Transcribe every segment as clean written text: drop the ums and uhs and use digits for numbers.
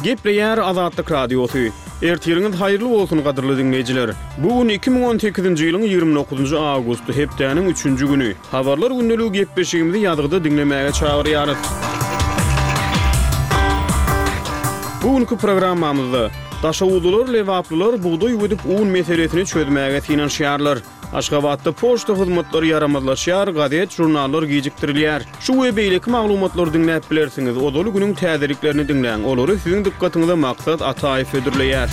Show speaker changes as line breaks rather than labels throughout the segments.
Gepleýär Azatlyk Radiosy. Ertiriňiz haýyrly bolsun, gadyrly diňleýjiler! Bu gün 2018-nji ýylyň 29-njy awgusty, hepdäniň üçünji güni. Habarlar gündeligi gepleşigimizi ýazgyda diňlemäge çagyrýarys. Bu günki programmamyzda, Daşoguzlylar, lebaplylar bugdaý güdüp un meselesini çözmäge synanyşýarlar. Aşgabatda poçta hyzmatlary ýaramazlaşýar, gazet-žurnallar gijikdirilýär. Şu we beýleki maglumatlary diňläp bilersiňiz. Ozaly günüň täzeliklerini diňläň. Olary siziň dykgatyňyza Maksat Ataýew hödürleýär.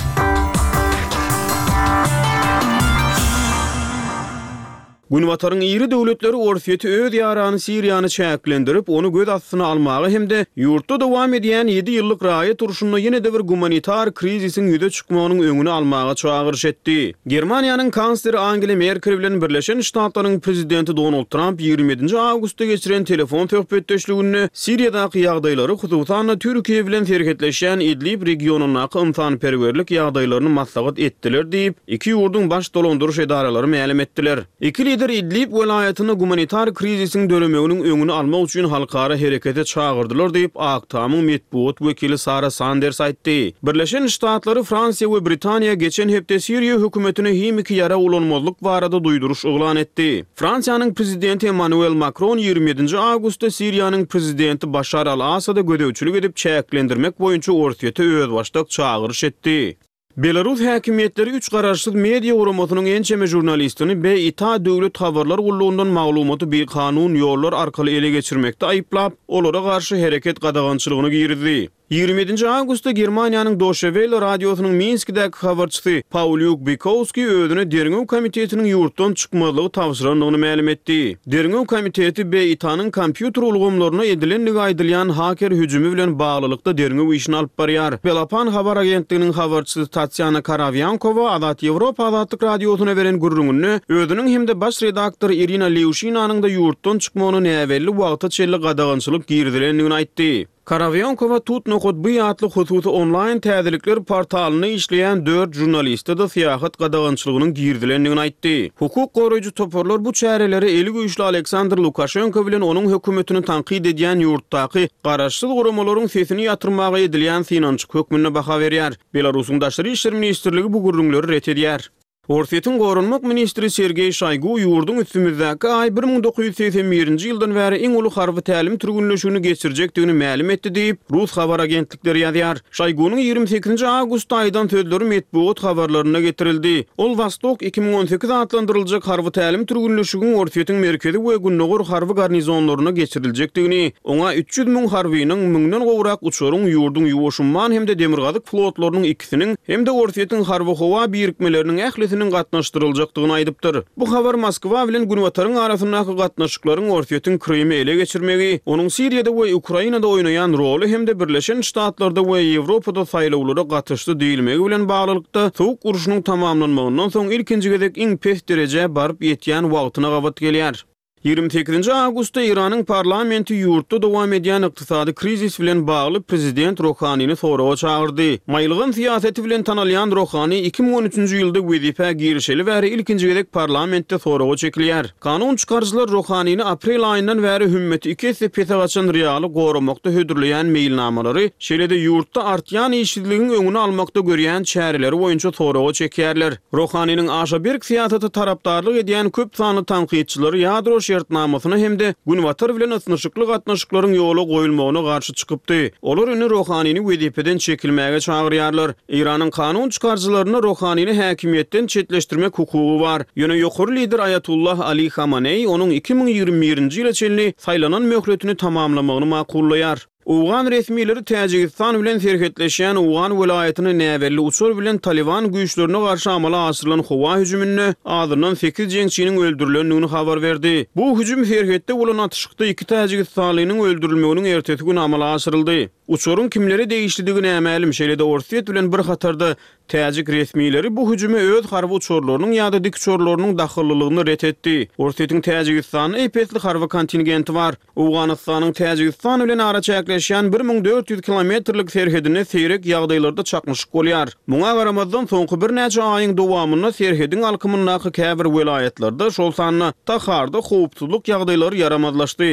Günbataryň iri döwletleri Orsýeti öz ýarany Siriýany çäklendirip, ony göz astyna almaga hem-de ýurtda dowam edýän ýedi ýyllyk raýat urşunda ýene-de bir gumanitar krizisiň ýüze çykmagynyň öňüni almaga çagyryş etdi. Germaniýanyň kansleri Angela Merkel bilen Birleşen Ştatlaryň prezidenti Donald Tramp 27-nji awgustda geçiren telefon söhbetdeşliginde Siriýadaky ýagdaýlary, hususan-da, Türkiýe bilen serhetleşýän Idlib regionyndaky ynsanperwerlik ýagdaýlaryny maslahat etdiler diýip, iki ýurduň baş dolandyryş edaralary mälim etdiler. Iki lider Idlib welaýatynda gumanitar krizisiň döremeginiň öňüni almak üçin halkara herekete çagyrdylar diýip, Ak Tamyň metbugat wekili Sara Sanders aýtdy. Birleşen Ştatlary, Fransiýa we Britaniýa geçen hepde Siriýa hökümetine himiki ýarag ulanmazlyk barada duýduryş yglan etdi. Fransiýanyň prezidenti Emmanuel Makron 27-nji awgustda Siriýanyň prezidenti Başar al-Asada gözegçilik edip çäklendirmek boýunça Orsýete özbaşdak çagyryş etdi. Belarus häkimiýetleri üç garaşsyz media guramasynyň ençeme žurnalistini BITA döwlet habarlar gullugyndan maglumaty bikanun ýollar arkaly ele geçirmekde aýyplap, olara garşy hereket gadagançylygyny girizdi. 27-nji awgustda Germaniýanyň Doşe Welle radiosynyň Minskidäki habarçysy Paulýuk Bykowskiý özüne Derňew komitetiniň ýurtdan çykmazlygy tabşyrandygyny mälim etdi. Derňew komiteti BITA-nyň kompýuter ulgamlaryna edilendigi aýdylýan haker hüjümi bilen baglylykda derňew işini alyp barýar. Belapan habar agentliginiň habarçysy Tatýana Karawýankowa Azat Ýewropa Azatlyk Radiosyna beren gürrüňinde özüniň hem-de baş redaktor Irina Lewşinanyň-da ýurtdan çykmagyna näbelli wagta çenli gadagançylyk girizilendigini aýtdy. Karawýankowa Tut nokat by atly hususy onlaýn täzelikler portalynda işleýän dört žurnaliste-de syýahat gadagançylygynyň girizilendigini aýtdy. Hukuk goraýjy toparlar bu çäreleri eli güýçli Aleksandr Lukaşenko bilen onuň hökümetini tankyt edýän ýurtdaky garaşsyz guramalaryň sesini ýatyrmaga edilýän synanyşyk hökmünde baha berýär. Belarusyň Daşary işler ministrligi bu gürrüňleri ret edýär. Orsýetiň goranmak ministri Sergeý Şoýgu ýurduň üstümizdäki aý 1981-nji ýyldan bäri iň uly harby tälim türgenleşigini geçirjekdigini mälim etdi diýip, rus habar agentlikleri ýazýar. Şoýgunyň 28-nji awgustda aýdan sözleri metbugat habarlarynda getirildi. Ol Wostok 2018 atlandyryljak harby tälim türgenleşigiň Orsýetiň merkezi we gündogar harby garnizonlarynda geçiriljekdigini, oňa 300 müň harbynyň, müňden gowrak uçaryň, ýurduň Ýuwaş umman hem-de Demirgazyk flotlarynyň ikisiniň hem-de Orsýetiň harby-howa birikmeleriniň ählisiniň gatnaşdyryljakdygyny aýdypdyr. Bu habar Moskwa bilen Günbataryň arasyndaky gatnaşyklaryň Orsýetiň Krymy ele geçirmegi, onuň Siriýada we Ukrainada oýnaýan roly hem-de Birleşen Ştatlarda we Ýewropada saýlawlara gatyşdy diýilmegi bilen baglylykda, Sowuk urşunyň tamamlanmagyndan soň ilkinji gezek iň pes derejä baryp ýetýän wagtyna gabat gelýär. 28-nji awgustda Eýranyň parlamenti ýurtda dowam edýän ykdysady krizis bilen bagly prezident Rohanini soraga çagyrdy. Maýylgan syýasaty bilen tanalýan Rohani 2013-nji ýylda wezipä girişeli bäri ilkinji gezek parlamentde soraga çekilýär. Kanun çykaryjylar Rohanini aprel aýyndan bäri hümmeti iki esse pese gaçan rialy goramakda hödürleýän meýilnamalary, şeýle-de ýurtda artýan işsizligiň öňüni almakda görýän çäreleri boýunça soraga çekýärler. Rohaniniň aşa berk syýasata tarapdarlyk edýän köp sanly tankytçylary ýadro şertnamasyna hem-de Günbatar bilen ysnyşykly gatnaşyklaryň ýola goýulmagyna garşy çykypdy. Olar indi Rohanini wezipeden çekilmäge çagyrýarlar. Eýranyň kanun çykaryjylarynda Rohanini häkimiýetden çetleşdirmek hukugy bar. Ýöne ýokary lider Aýatullah Ali Hamaneý onuň 2021-nji ýyla çenli saýlanan möhletini tamamlamagyny makullaýar. Owgan resmileri Täjigistan bilen serhetleşýän owgan welaýatyna näbelli uçar bilen Talyban güýçlerine garşy amala aşyrylan howa hüjüminde azyndan sekiz jeňçiniň öldürilendigini habar berdi. Bu hüjüm serhetde bolan atyşykda iki täjigistanlynyň öldürilmeginiň ertesi güni amala aşyryldy. Uçaryň kimlere degişlidigi nämälim, şeýle-de Orsýet bilen bir hatarda Täjik resmileri bu hüjüme öz harby uçarlarynyň ýa-da dikuçarlarynyň dahyllylygyny ret etdi. Orsýetiň Täjigistanda ep-esli harby kontingenti bar. Owganystanyň Täjigistan bilen araçäkleşýän 1400 kilometrlik serhedinde seýrek ýagdaýlarda çaknyşyk bolýar. Muňa garamazdan, soňky birnäçe aýyň dowamynda serhediň alkymyndaky käbir welaýatlarda, şol sanda Taharda howpsuzlyk ýagdaýlary ýaramazlaşdy.